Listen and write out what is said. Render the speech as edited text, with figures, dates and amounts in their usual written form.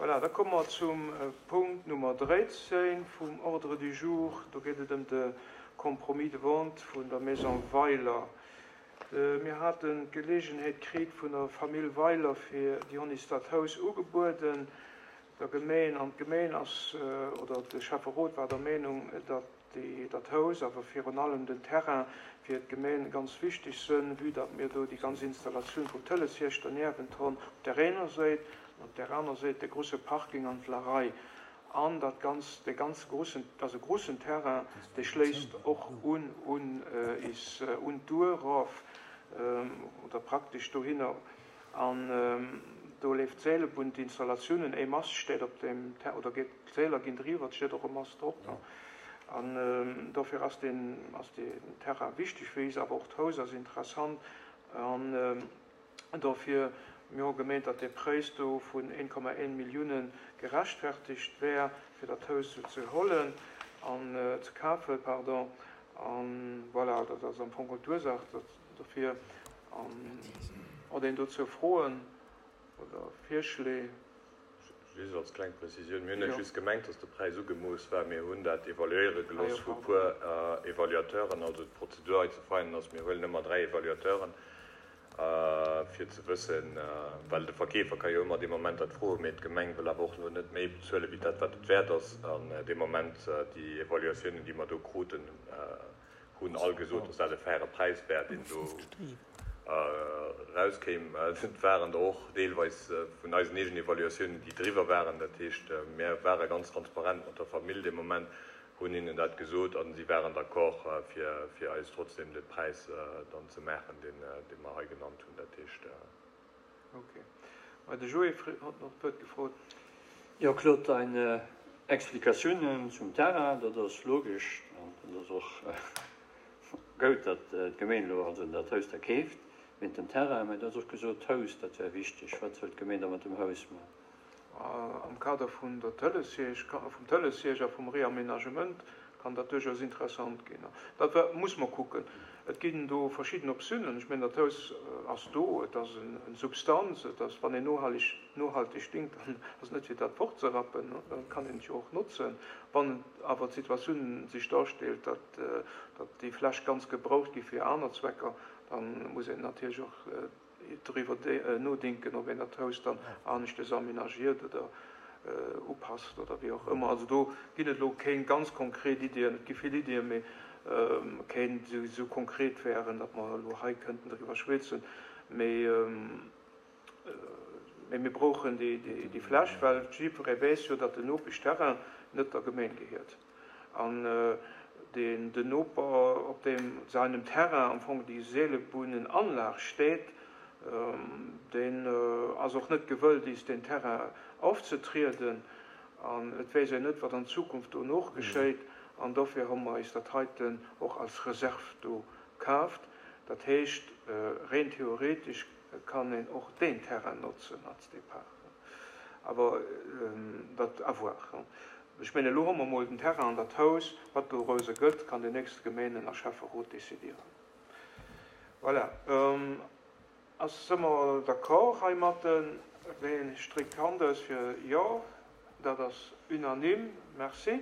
Voilà, da komme mer zum Punkt Nummer 13 vum Ordre du jour. Do geet et ëm de Compromis de vente vun der Maison Weiler. Mir haten d'Geleegenheet kritt vun der Famill Weiler fir, déi hunn is dat Haus ugebueden der Gemeen, an d'Gemeen ass, oder de Schäfferot war der Meenung, datt déi, dat Haus, awer virun allem den Terrain fir d'Gemeen ganz wichteg sënn, vue datt mir do déi ganz Installatioun vum Tëleshierschter niewent-hon op där eener Séit an op där aner Séit de grusse Parking an d'Larei an dat ganz, dee ganze grussen, dat ass e grussen Terrain, dee schléisst och un un is, un d'Our erof oder praktesch dohinner. An do leeft d'Seelebunn, d'Installatiounen, e Mast steet op deem Ter, oder geet, d'Seeler ginn driwwer, et steet och e Mast drop. An dofir ass deen, ass deen Terrain wichteg fir is, awer och d'Haus ass interessant. An dofir, mir hu gemeent, datt dee Präis do vun 1,1 Milliounen gerechtfertigt wär, fir dat Haus esou ze hollen an ze kafen, pardon. An voilà, dat ass am Fong geholl d'Ursaach dofir. Huet een dozou Froen oder Virschléi? Just als kleng Prezisioun, Mir hunn net just gemengt, dass de Präis ugemooss war, mir hunn dat evaluéiere gelooss vu puer Evaluateuren. Also d'Prozedur hei ze feinen ass, mir huelen ëmmer 3 Evaluateuren, fir ze wëssen, well de Verkeefer ka jo ëmmer dee Moment dat froen, mee d'Gemeng wëll awer och elo net méi bezuelen, wéi dat wat et wäert ass. An dee Moment, déi Evaluatiounen, déi mer do kruten, hunn all gesot, dass dat e faire Präis wär, deen do erauskéim. Et waren der och deelweis vun eisen eegenen Evaluatiounen, déi driwwer waren. Dat heescht, mir ware ganz transparent mat der Famill dee Moment, hunn hinnen dat gesot a si waren d'accord, fir eis trotzdem de Präis dann ze maachen, deen mer hei genannt hunn. Dat heescht. Ok. Mä de Joé huet nach d'Wuert gefrot. Jo, Claude, dein Explikatiounen zum Terrain, dat ass logesch an dat ass och goud, datt d'Gemeen elo also dat Haus da keeft wéint dem Terrain. Mä du hues och gesot, d'Haus, dat wär wichteg. Wat wëllt d'Gemeen da mat dem Haus man? Am Kader vun der Tëleshierch, vum Tëleshierch a vum Reaménagement kann dat duerchaus interessant ginn. Dat muss mer kucken. Et ginn do verschidden Optiounen. Ech mengen, dat Haus ass do, et ass eng Substanz, et ass, wann een nohalleg, nohalteg dinkt, dann ass et net fir dat fortzerappen, da kann een et jo och notzen. Wann awer d'Situatioun sech darstellt, datt, datt déi Fläch ganz gebraucht gi fir aner Zwecker, da muss een natierlech och driwwer nodenken, ob een dat Haus dann aneschtes aménagiert oder upasst oder wéi och ëmmer. Also do ginn et elo kéng ganz konkret Iddien. Et gi vill Iddien, mee kéng, déi esou konkret wären, datt mer elo hei kënnten driwwer schwätzen. Mee mir brauchen déi Fläch, well jiddweree weess jo, datt den Nopeschterrain net der Gemeng gehiert. An deen den Noper, op deem seinem Terrain am Fong déi Seelebunnenanlag steet, deen ass och net gewëllt, is deen Terrain aufzetrieden. An et weess een net, wat an Zukunft dono geschéit. An dofir hu mer is dat heiten och als Reserve do kaaft. Dat heescht, reen theoretesch kann een och deen Terrain notzen als Depart. Awer dat, à voir. Ech mengen, elo hu mer emol den Terrain an dat Haus. Wat doraus gëtt, kann den nächste Gemeenen a Schäfferot décidieren. Voilà. Ass, si mer d'accord heimatten? Ween stréckt d'Hand aus fir Jo? Dat ass unanime. Merci.